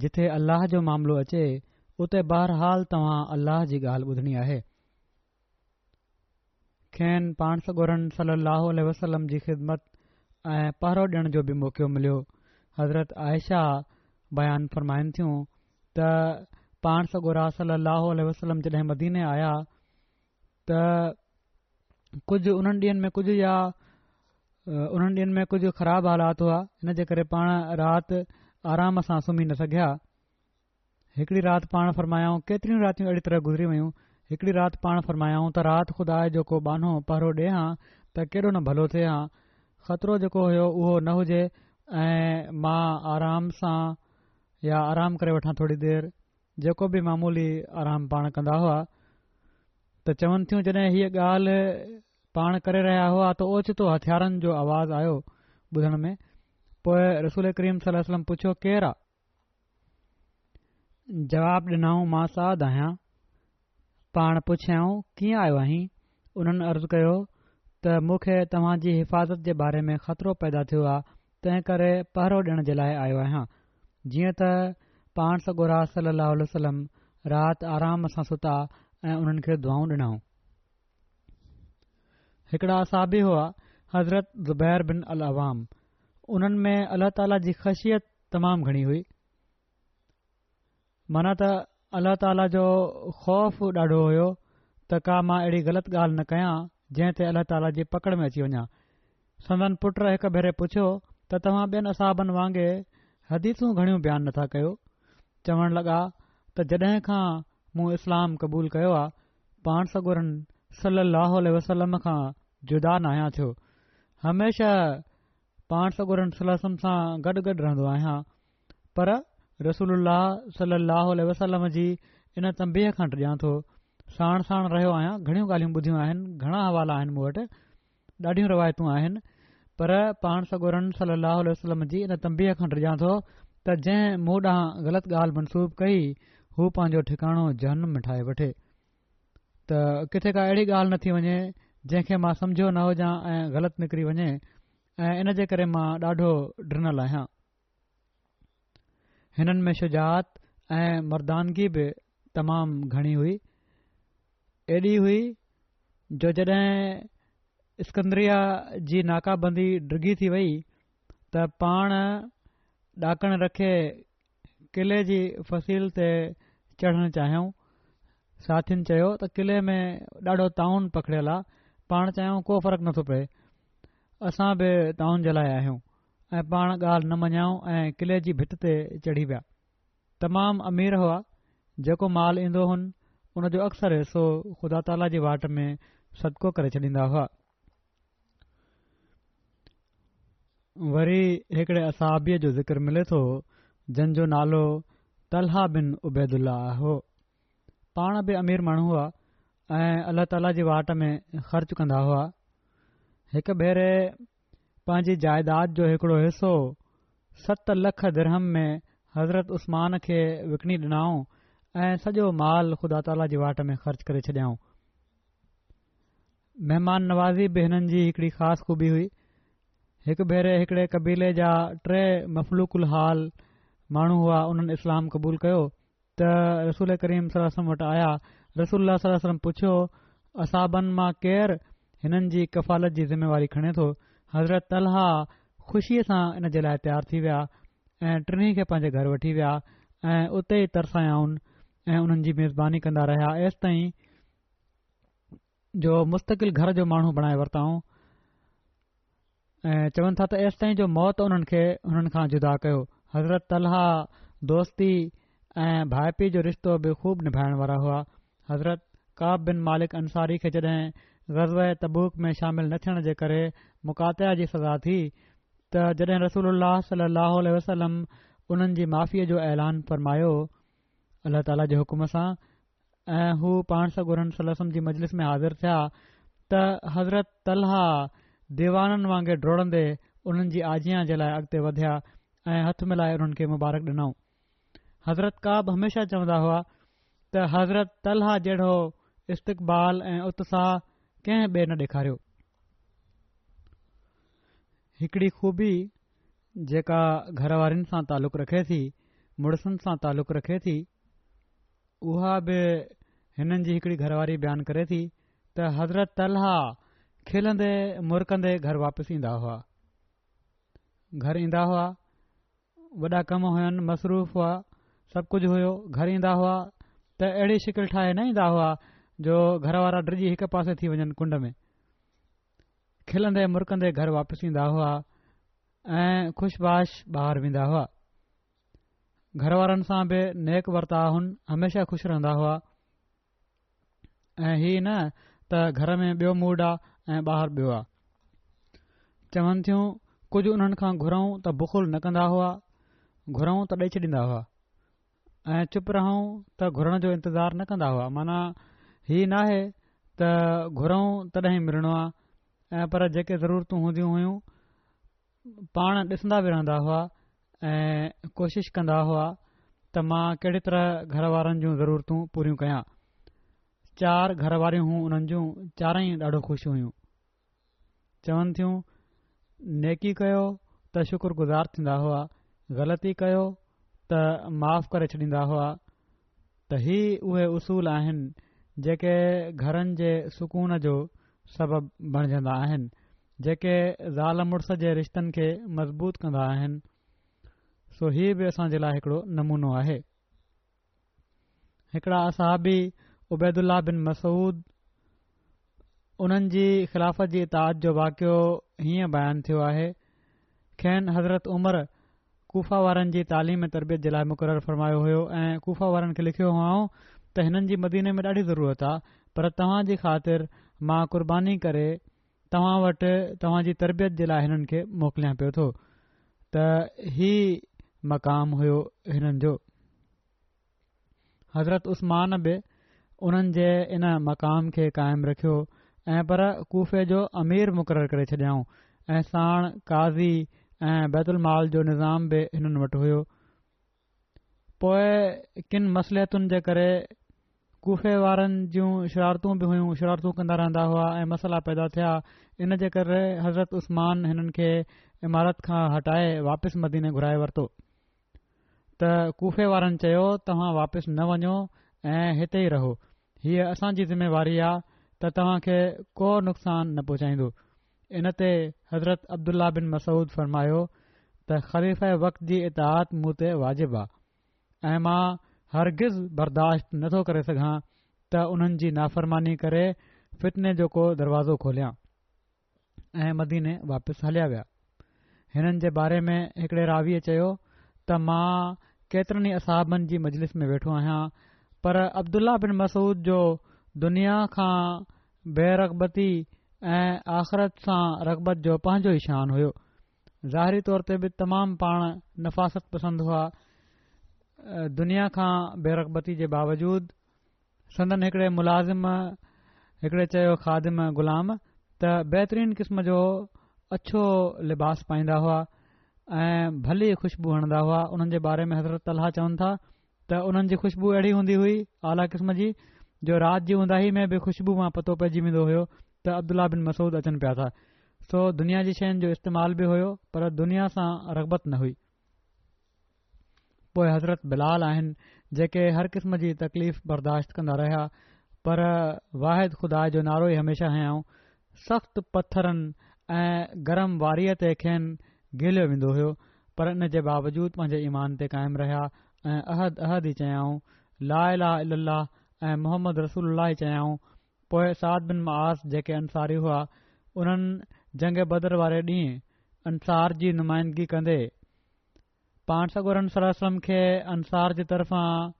جٿي الله جو معاملو اچي، اتي بهرحال توهان الله جي ڳالهه ٻڌڻي آهي. کين پاڻ سڳورن صلي الله عليه وسلم جي خدمت ۽ پهرو ڏيڻ جو به موقعو مليو. حضرت عائشه بيان فرمائن ٿيون ته پاڻ سڳورا صلي الله عليه وسلم جڏهن مديني آيا ته ڪجهه انهن ڏينهن ۾ ڪجهه يا انهن ڏينهن ۾ ڪجهه خراب حالات هئا ان جي ڪري پاڻ رات آرام سان سمهي نه سگهيا هڪڙي رات پاڻ فرمايائون ڪيتريون راتيون اهڙي طرح گذري ويون هڪڙي رات پاڻ فرمايائون ته رات خدا جو ڪو ٻانهو پهرو ڏي هان ته ڪيڏو نه ڀلو ٿئي هان خطرو جيڪو هيو اهو نه هجي ۽ مان آرام سان يا آرام ڪري وٺان ٿوري دير، جيڪو به معمولي آرام پاڻ ڪندا هئا ته چون ٿيون جڏهن هيء ڳالهه پاڻ ڪري رهيا هئا ته اوچتو هٿيارن جو آواز آيو ٻڌڻ ۾ پوء رسول ڪريم صلي الله عليه وسلم پڇيو ڪير آ؟ جواب ڏنائون مان سعد آهيان. پاڻ پڇيائون ڪيئن آيو آهين؟ انهن عرض ڪيو ته مون کي توهان جي حفاظت جي باري ۾ خطرو پيدا ٿيو آ تنهن ڪري پهرو ڏيڻ جي لاء آيو آهيان. جيئن ته پاڻ سڳورا صلي الله عليه وسلم رات آرام سان ستا ۽ انهن کي دعائون ڏنائون. هڪڙا صحابي هئا حضرت زبير بن العوام انهن ۾ الله تعاليٰ جي خشيت تمام گهڻي هئي. معنيٰ ته الله تعاليٰ جو خوف ڏاڍو هيو ته ڪا مان اهڙي غلط ڳالهه نه ڪيان جنهن تي الله تعاليٰ جي پڪڙ ۾ اچي وڃان. سندن پٽ هڪ ڀيري پڇيو ته توهان ٻين اصحابن وانگي حديثون گهڻيون بيان نٿا ڪيو؟ چوڻ لڳا ته جڏهن کان مون اسلام قبول ڪيو آ پاڻ سڳورن صلّي اللّٰه عليه وسلّم کان جدا ناهيان ٿيو هميشه پاڻ سڳورن صلّي اللّٰه عليه وسلّم سان گڏ گڏ رهندو آهيان پر رسول الله صلي الله عليه وسلم جي ان تنبيهه کان ڊڄان ٿو. ساڻ ساڻ رهيو آهيان، گهڻيون ڳالهيون ٻڌيون آهن، گهڻا حوالا آهن مون وٽ، ڏاڍيون روايتون آهن، پر پاڻ سڳورن صلي الله عليه وسلم جي ان تنبيهه کان ڊڄان ٿو ته جنهن مون ڏانهن غلط ڳالهه منسوب ڪئي، هو پنهنجو ٺڪاڻو جهنم ۾ ٺاهي وٺي. ته ڪٿي ڪا اهڙي ڳالهه نه ٿي وڃي، جنهن کي مان سمجهيو نه هجان ۽ غلط نڪري وڃي ۽ ان جي ڪري مان ڏاڍو ڊنل آهيان. هنن ۾ شجاعت ۽ مردانگي به تمام گهڻي هئي. ايڏي هئي جو جڏهن اسڪندريه جي ناڪابندي ڊگهي ٿي وئي ته پاڻ ڏاڪڻ رکي قلعي جي فصيل تي چڙهڻ چاهيائون. ساٿين چيو ته قلعي ۾ ڏاڍو طاعون پکڙيل آ. پاڻ چيائون ڪو فرق نٿو پئي. اسان به طاعون جي لاء آهيون. ۽ پاڻ ڳالهه نه مڃيائون ۽ قلعي جي ڀت تي چڙهي ويا. تمام امير هئا، جيڪو مال ايندو هن، ان جو اڪثر حصو خدا تعاليٰ جي واٽ ۾ صدقو ڪري ڇڏيندا هئا. وري هڪڙي اصحابيء جو ذڪر ملي ٿو، جن جو نالو طلحه بن عبيدالله هو. پاڻ به امير ماڻهو هئا ۽ الله تعاليٰ جي واٽ ۾ خرچ ڪندا هئا. هڪ ڀيري پنهنجي جائداد جو هڪڙو حصو ست لک درهم ۾ حضرت عثمان کي وڪڻي ڏنائون ۽ سڄو مال خدا تعاليٰ جي واٽ ۾ خرچ ڪري ڇڏيائون. مهمان نوازي به هنن جي هڪڙي خاص خوبي هئي. هڪ ڀيري هڪڙي قبيلي جا ٽي مفلوڪ الحال ماڻهو هئا انهن اسلام قبول ڪيو ته رسول ڪريم صلي الله عليه وسلم وٽ آيا، رسول الله صلي الله عليه وسلم پڇيو، اصحابن مان ڪير هنن جي ڪفالت جي ذميواري کڻي ٿو؟ حضرت طلحه خوشيء سان ان جي لاء تيار ٿي ويا. ۽ ٽنهي کي پنهنجي گهر وٺي ويا ۽ اتي ئي ترسايائون ۽ انهن جي ميزباني ڪندا رهيا ايستائين جو مستقل گهر جو ماڻهو بڻائي ورتائون ۽ چون ٿا ته ايستائين جو موت انهن کي هنن کان جدا ڪيو. حضرت طلحه دوستي ۽ ڀائپي جو رشتو به خوب نڀائڻ وارا هئا. حضرت ڪعب بن مالڪ انصاري کي جڏهن غزوه تبوڪ ۾ شامل نه ٿيڻ جي ڪري مقاطعه جي سزا ٿي ته جڏهن رسول الله صلي الله عليه وسلم انهن جي معافيء جو اعلان فرمايو الله تعاليٰ جي حڪم سان ۽ هو پاڻ سڳورن صلي الله عليه وسلم جي مجلس ۾ حاضر ٿيا ته حضرت طلحه ديوانن وانگي ڊوڙندي انهن جي آجيان جي لاء اڳتي وڌيا ۽ هٿ ملائي انهن کي مبارڪ ڏنائون. حضرت ڪعب هميشه چوندا هئا ته حضرت طلحه جهڙو استقبال ۽ اتساهه ڪنهن ٻئي نه ڏيکاريو. هڪڙي خوبي جيڪا گهر وارين سان تعلق رکي ٿي، مڙسن سان تعلق رکي ٿي، اها به هنن جي هڪڙي گهر واري بيان ڪري ٿي ته حضرت طلحه کلندي مرڪندي گهر واپس ايندا هئا. گهر ايندا هئا، وڏا ڪم هين، مصروف هئا، سڀ ڪجهه هيو، گهر ايندا هئا ته اهڙي شڪل ٺاهي نه ايندا هئا جو گهر وارا ڊڄي هڪ پاسي ٿي وڃن ڪنڊ ۾. کلندي مرڪندي گهر واپس ايندا هئا ۽ خوش باش ٻاهر ويندا هئا. گهر وارن سان به نيڪ ورتاء هن هميشه خوش رهندا هئا ۽ هي نه ته گهر ۾ ٻيو موڊ آ ۽ ٻاهر ٻيو آ. چون ٿيون ڪجهه انهن کان گهرون ته بخل نه ڪندا هئا، گهرون ته ڏئي ڇڏيندا هئا ۽ چپ رهون ته گهرڻ جو انتظار نه ڪندا هئا معنيٰ هي ناهي ته گهرون تڏهن ئي ملڻو آ ۽ پر جيڪي ضرورتون هونديون هيون پاڻ ڏسندا به رهندا هئا ۽ ڪوشش ڪندا هئا ته مان ڪهڙي طرح گهر وارن جون ضرورتون پوريون ڪيان. چار گهر واريون هيون انهن جون، چارئي ڏاڍو خوش هيون. چون ٿيون، نيڪي ڪيو ته شڪر گذار ٿيندا هئا، غلطي ڪيو ته معاف ڪري ڇڏيندا هئا ته هي اهي اصول آهن جيڪي گهرن جي سڪون جو سبب بڻجندا آهن، جيڪي زال مڙس جي رشتن کي مضبوط ڪندا آهن، سو هي به اسان جي لاء هڪڙو نمونو آهي. هڪڙا اصحابي عبيدالله بن مسعود انهن جي خلافت جي اطاعت جو واقعو هيئن بيان ٿيو آهي، کين حضرت عمر ڪوفه وارن جي تعليم ۽ تربيت جي لاء مقرر فرمايو هيو ۽ ڪوفه وارن کي لکيو هئائون ته هنن جي مديني ۾ ڏاڍي ضرورت آ پر توهان جي خاطر مان قرباني ڪري توهان وٽ توهان جي تربيت جي لاء هنن کي موڪليان پيو ٿو ته هي مقام هيو هنن جو. حضرت عثمان به انهن جي ان مقام کي قائم رکيو ۽ پر ڪوفي جو امير مقرر ڪري ڇڏيائون ۽ ساڻ قاضي ۽ بيت المال جو نظام به هنن وٽ هيو. پوء ڪن مصلحتن جي ڪري ڪوفي وارن جون شرارتون به هيون، شرارتون ڪندا رهندا هئا ۽ مسئلا پيدا ٿيا، ان جي ڪري حضرت عثمان هنن کي امارت کان هٽائي واپس مديني گهرائي ورتو. ته ڪوفي وارن چيو توهان واپس نه وڃو ۽ هتي ئي رهو، هيء اسان جي ذميواري آ ته توهان کي ڪو نقصان نه پهچائيندو. ان تي حضرت عبدالله بن مسعود فرمايو ته خليفه وقت جي اطاعت مون تي واجب آ ۽ مان هرگز برداشت نه ٿو ڪري سگهان ته انهن جي نافرماني ڪري فتني جو ڪو دروازو کوليان. ۽ مديني واپس هليا ويا. هنن جي باري ۾ هڪڙي راويء چيو ته مان ڪيترن ئي اصحابن جي مجلس ۾ ويٺو آهيان پر عبدالله بن مسعود جو دنيا کان بي رغبتي ۽ آخرت سان رغبت جو پنهنجو ئي شان هيو. ظاهري طور تي به تمام پاڻ نفاست پسند هئا. دنيا کان بي رغبتي جي باوجود سندن هڪڙي ملازم هڪڙي چيو خادم غلام ته بهترين قسم جو اڇو لباس پائيندا هئا ۽ ڀلي خوشبو هڻندا هئا انهن جي باري ۾ حضرت طلحه چون ٿا ته انهن جي خوشبو اهڙي هوندي هئي اعليٰ قسم جي جو رات جي اونداهي ۾ به خوشبو مان پتو پئجي ويندو هيو ته عبدالله بن مسعود اچن پيا ٿا سو دنيا جي شين جو استعمال به هيو پر دنيا سان رغبت نه هئي پوء حضرت بلال آهن جيڪي هر قسم جي تڪليف برداشت ڪندا رهيا پر واحد خدا جو نعرو ئي هميشه هنيائون. سخت پٿرن ۽ گرم واريء تي کين گهليو ويندو هيو. پر ان جي باوجود پنهنجي ايمان تي قائم رهيا ۽ احد احد ئي چيائون، لا اله الا الله ۽ محمد رسول الله ئي چيائون. پوء سعد بن معاذ جيڪي انصاري هئا، انهن جنگ بدر واري ڏينهن انصار جي نمائندگي ڪندي پاڻ سڳورن صلي الله عليه وسلم کي انصار جي طرفان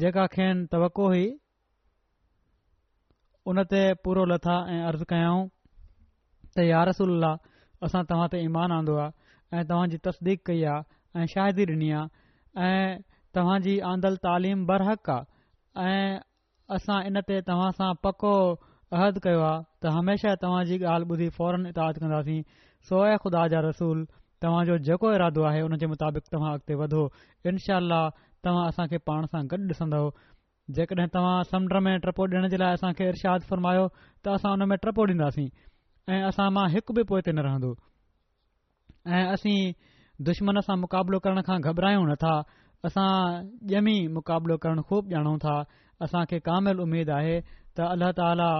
جيڪا کين توقع هئي ان تي پورو لٿا ۽ عرض ڪيائون ته يا رسول الله اسان توهان تي ايمان آندو آهي ۽ توهان جي تصديق ڪئي آهي ۽ شاهدي ڏني آهي ۽ توهان جي آندل تعليم برحق آهي ۽ اسان ان تي توهان سان پڪو عهد ڪيو آهي ته هميشه توهان جي ڳالهه ٻڌي فوراً اطاعت ڪنداسين، سو اي خدا جا رسول! توهان جو جيڪو ارادو آهي ان جي مطابق توهان اڳتي وڌو، انشاء الله توهان اسان کي پاڻ سان گڏ ڏسندؤ، جيڪڏهن توهان سمنڊ ۾ ٽپو ڏيڻ جي لاء اسان کي ارشاد فرمايو ته اسان ان ۾ ٽپو ڏينداسين ۽ اسان مان هڪ به پوئتي نه رهندو. ۽ اسين دشمن سان مقابلو ڪرڻ کان گهٻرايون نه ٿا، اسان ڄمي مقابلو ڪرڻ خوب ڄاڻون ٿا، اسان کي ڪامل اميد آهي ته الله تعاليٰ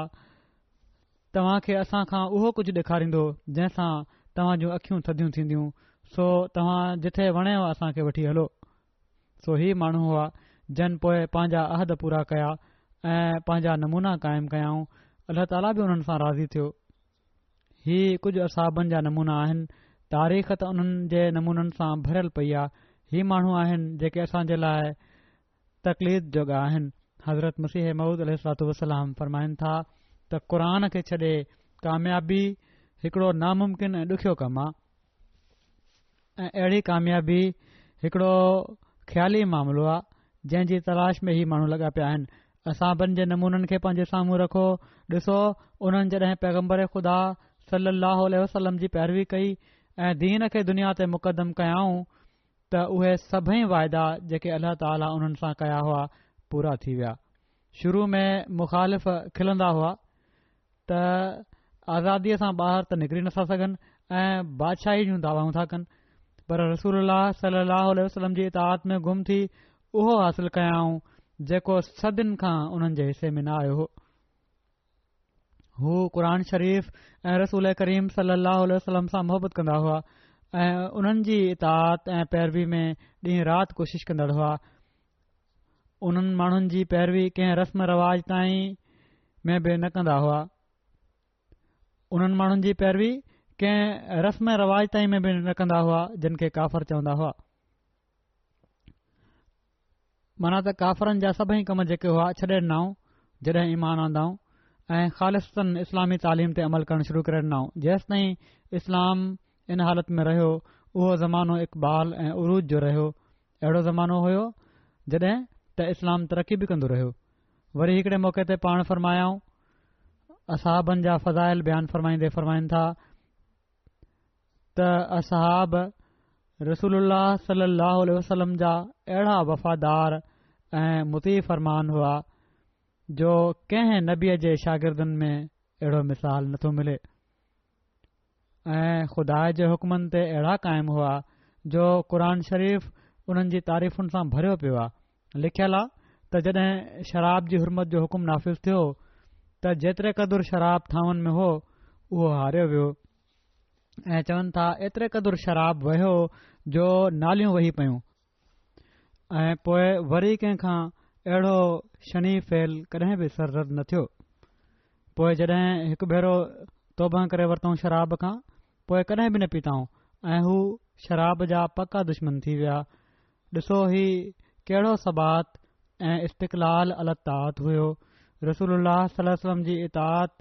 توهان کي اسان کان اهو ڪجهه ڏيکاريندو جنهن سان توهان جون اکيون ٿڌيون ٿينديون، سو توهان جٿي وڻيو اسان کي وٺي هلو. سو هي ماڻهو هئا جن پوء پنهنجا عهد پورا ڪيا ۽ پنهنجا نمونا قائم ڪيائون، الله تعاليٰ به انهن سان راضي ٿيو. هي ڪجهه اصحابن جا نمونا آهن، تاريخ ته انهن جي نمونن سان ڀريل پئي آ، هي ماڻهو آهن جيڪي اسان جي لاء تقليد جوڳا آهن. حضرت مسيح موعود عليه الصلوة والسلام فرمائن ٿا ته قرآن کي ڇڏي ڪاميابي هڪڙو ناممڪن ۽ ڏکيو ڪم آ ۽ اهڙي ڪاميابي هڪڙو خيالي معاملو آ جنهن جي تلاش ۾ هي ماڻهو لڳا پيا آهن اصحابن جي نمونن کي پنهنجي سامهون رکو، ڏسو انهن جڏهن پيغمبر خدا صلّي اللّٰه عليه وسلّم جي پيروي ڪئي ۽ دين کي دنيا تي مقدم ڪيائون ته اهي سڀئي وعدا جيڪي الله تعاليٰ انهن سان ڪيا هئا پورا ٿي ويا. شروع ۾ مخالف کلندا هئا ته آزاديء سان ٻاهر ته نڪري نٿا سگهن ۽ بادشاهي جون دعوائون ٿا ڪن پر رسول الله صلي الله عليه وسلم جي اطاعت ۾ گم ٿي اهو حاصل ڪيائون جيڪو صدين کان انهن جي حصي ۾ نه آيو هو. هو قرآن شريف ۽ رسول ڪريم صلي الله عليه وسلم سان محبت ڪندا هئا ۽ انهن جي اطاعت ۽ پيروي ۾ ڏينهن رات ڪوشش ڪندڙ هئا. انهن ماڻهن جي پيروي ڪنهن رسم رواج تائين ۾ به نه ڪندا هئا. انهن ماڻهن جي پيروي ڪنهن رسم رواج تائين ۾ به نه ڪندا هئا جن کي ڪافر چوندا هئا. معنيٰ ته ڪافرن جا سڀئي ڪم جيڪي هئا ڇڏي ڏنائون جڏهن ايمان آندائون ۽ خالصتاً اسلامي تعليم تي عمل ڪرڻ شروع ڪري ڏنائون جيستائين اسلام ان حالت ۾ رهيو اهو زمانو اقبال ۽ عروج جو رهيو اهڙو زمانو هيو جڏهن ته اسلام ترقي به ڪندو رهيو. وري هڪڙي موقعي تي پاڻ فرمايائون، اصحابن جا فضائل بيان فرمائيندي فرمائن ٿا ته اصحاب رسول الله صلي الله عليه وسلم جا اهڙا وفادار ۽ مطيع فرمان هئا جو ڪنهن نبيء جي شاگردن ۾ اهڙو مثال نٿو ملي. ۽ خدا جي حڪمن تي اهڙا قائم هئا جو قرآن شريف انهن جي تعريفن سان ڀريو پيو آهي. لکيل آهي ته جڏهن شراب جي حرمت جو حڪم نافذ ٿيو ته جيتري قدر شراب ٿانون ۾ هو اهو هاريو ويو ۽ چون ٿا ايتري قدر شراب وهيو جو ناليون وهي پيون ۽ پوء وري ڪنهن کان اهڙو شنيع فعل ڪڏهن به سرزد نه ٿيو. پوء جڏهن هڪ ڀيرو توبه ڪري ورتائون شراب کان، پوء ڪڏهن به نه پيتائون ۽ هو شراب جا پڪا دشمن ٿي ويا. ڏسو هي ڪهڙو ثبات ۽ استقلال علي الطاعت هيو. رسول الله صلي الله عليه وسلم جي اطاعت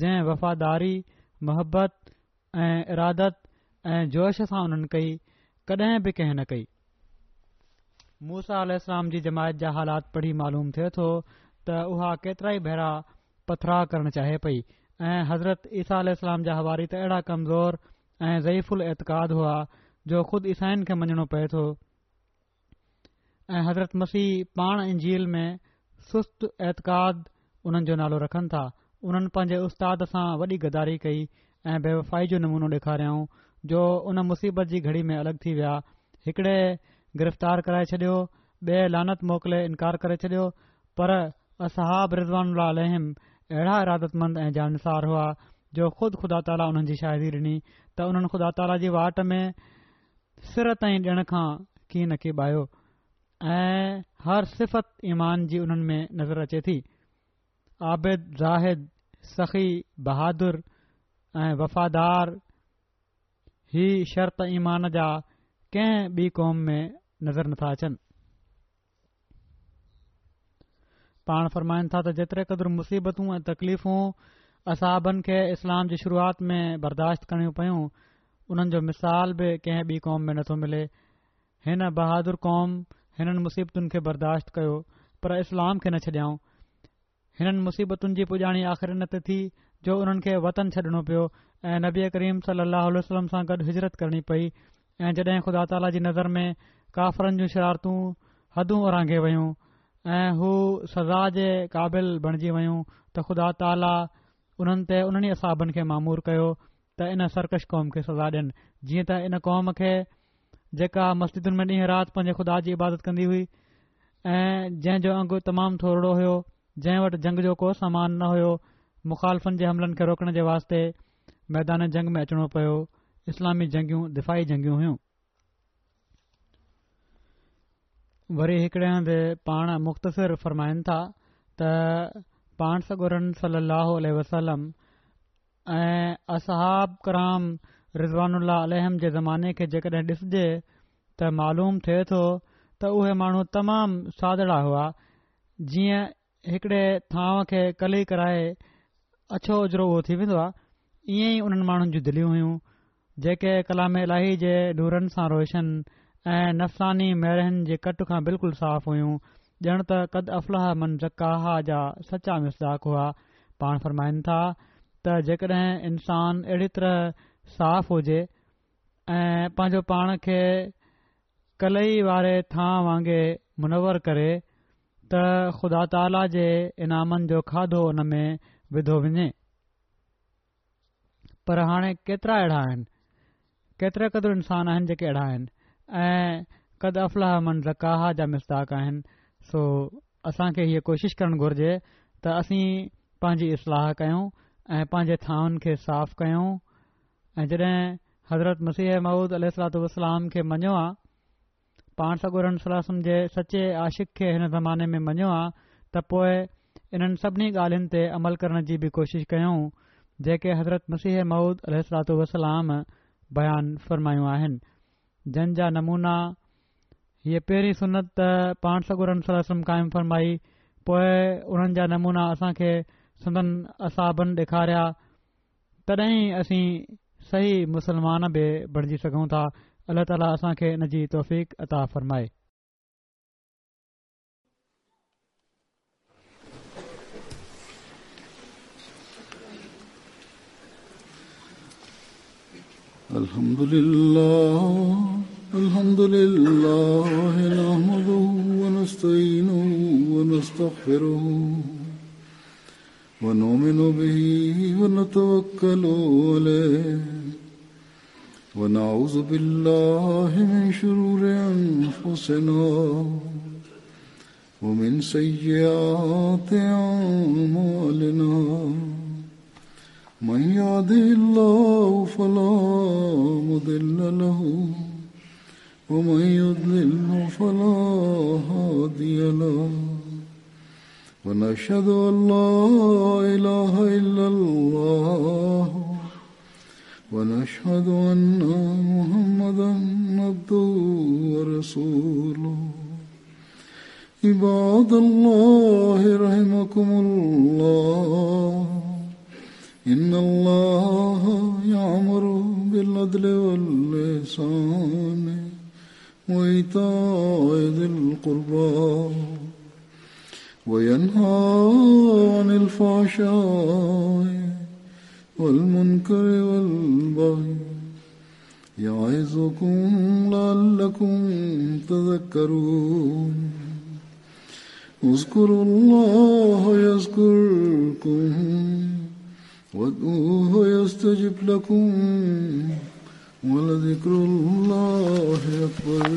جنهن وفاداري، محبت ۽ ارادت ۽ جوش سان انهن ڪئي، ڪڏهن به ڪنهن نه ڪئي. موسيٰ عليه السلام جي جماعت جا حالات پڙهي معلوم ٿئي ٿو ته اها ڪيترائي ڀيرا پٿراء ڪرڻ چاهي پئي ۽ حضرت عيسيٰ عليه السلام جا حواري ته اهڙا ڪمزور ۽ ضعيف الاعتقاد هئا جو خود عيسائين کي مڃڻو پئي ٿو ۽ حضرت مسيح پاڻ انجيل ۾ سست اعتقاد انهن جو نالو رکن ٿا. انهن پنهنجي استاد سان وڏي غداري ڪئي ۽ بيوفائي جو نمونو ڏيکاريائون جو ان مصيبت جي گهڙي ۾ الڳ ٿي ويا. هڪڙي گرفتار ڪرائي ڇڏيو، ٻئي لعنت موڪلي انڪار ڪري ڇڏيو پر اصحاب رضوان الله عليهم اهڙا ارادتمند ۽ جانثار هئا جو خود خدا تعاليٰ انهن جي شاهدي ڏني ته انهن خدا تعاليٰ جي واٽ ۾ سر تائين ڏيڻ کان ڪين ڪيٻايو ۽ هر صفت ايمان جي انهن ۾ نظر اچي ٿي. عابد، زاهد، سخي، بهادر ۽ وفادار هي شرط ايمان جا ڪنهن ٻي قوم ۾ نظر نٿا اچن. پاڻ فرمائن ٿا ته جيتري قدر مصيبتون ۽ تڪليفون اصحابن کي اسلام جي شروعات ۾ برداشت ڪرڻيون پيون انهن جو مثال به ڪنهن ٻي قوم ۾ نٿو ملي. هن بهادر قوم هنن مصيبتن کي برداشت ڪيو پر اسلام کي نه ڇڏيائون. هنن مصيبتن جي پڄاڻي آخر ان تي ٿي جو انهن کي وطن ڇڏڻو پيو ۽ نبي ڪريم صلي الله عليه وسلم سان گڏ هجرت ڪرڻي پئي ۽ جڏهن خدا تعاليٰ جي نظر ۾ ڪافرن جون شرارتون حدون اورانگهي ويون ۽ هو سزا جي قابل بڻجي ويون ته خدا تعاليٰ انهن تي انهن ئي اصحابن کي مامور ڪيو ته ان سرڪش قوم کي سزا ڏين جيئن ته ان قوم کي جيڪا مسجدن ۾ ڏينهن رات پنهنجي خدا جي عبادت ڪندي هئي ۽ جنهن جو انگ تمام ٿورڙو هيو، جنهن وٽ جنگ جو ڪو سامان نه هيو، مخالفن جي حملن کي روڪڻ جي واسطي ميدان جنگ ۾ اچڻو پيو، اسلامي جنگيون دفاعي جنگيون هيون. وري هڪڙي هنڌ پاڻ مختصر فرمائن ٿا ته پاڻ سڳورن صلي الله عليه وسلم ۽ اصحاب ڪرام رضوان الله عليهم جي زماني کي جيڪڏهن ڏسجي ته معلوم ٿئي ٿو ته اهي ماڻهو تمام سادڙا هئا جيئن هڪڙي ٿانو کي قلعي ڪرائي اڇو اجرو اهو ٿي ويندو آهي ائين ئي انهن ماڻهن جون دليون هيون جيڪي ڪلام الاهي جي نورن سان روشن ۽ نفساني ميرحن جي ڪٽ کان بلڪل صاف هيون، ڄڻ ته قد افلح من زڪاها جا سچا مصداق هئا. پاڻ فرمائن ٿا ته جيڪڏهن انسان اهڙي طرح صاف هجي ۽ پنهنجو پاڻ کي قلعي واري ٿانء وانگي منور ڪري ته خدا تعاليٰ جي انعامن جو کاڌو ان ۾ وڌو وڃي. پر هاڻي ڪيترا اهڙا آهن؟ ڪيتري قدر انسان آهن جيڪي اهڙا آهن ۽ قد افلح من زڪاها جا مصداق آهن سو اسان کي هيء ڪوشش ڪرڻ گهرجي ته اسين پنهنجي اصلاح ڪيون ۽ پنهنجي ٿانون کي صاف ڪيون ۽ جڏهن حضرت مسيح موعود عليه الصلوة والسلام کي مڃيو آ پاڻ سڳورن صلي الله عليه وسلم جي سچي عاشق کي هن زماني ۾ مڃيو آ ته پوء انهن سڀني ڳالهين تي عمل ڪرڻ جي به ڪوشش ڪيون جيڪي حضرت مسيح موعود عليه الصلوة والسلام بيان فرمايون آهن جن جا نمونا هيء پهرين سنت ته پاڻ سڳورن صلي الله عليه وسلم قائم فرمائي پوء انهن جا نمونا اسان کي سندن اصحابن ڏيکاريا تڏهن ئي اسين صحيح مسلمان به بڻجي سگهون ٿا الله تعالي اسان کي ان جي توفيق عطا فرمائي. الحمد لله الحمد لله نحمده ونستعينه ونستغفره ونؤمن به ونتوكل عليه ونعوذ بالله من شرور أنفسنا ومن سيئات أعمالنا من يهده الله فلا مضل له ومن يضلل فلا هادي له ونشهد أن لا إله إلا الله ونشهد أن محمدا عبده ورسوله عباد الله رحمكم الله إن الله يأمر بالعدل والإحسان وإيتاء ذي القربى وينهى عن الفحشاء والمنكر والبغي يعظكم لعلكم تذكرون اذكروا الله يذكركم وادعوه يستجب لكم ولذكر الله أكبر.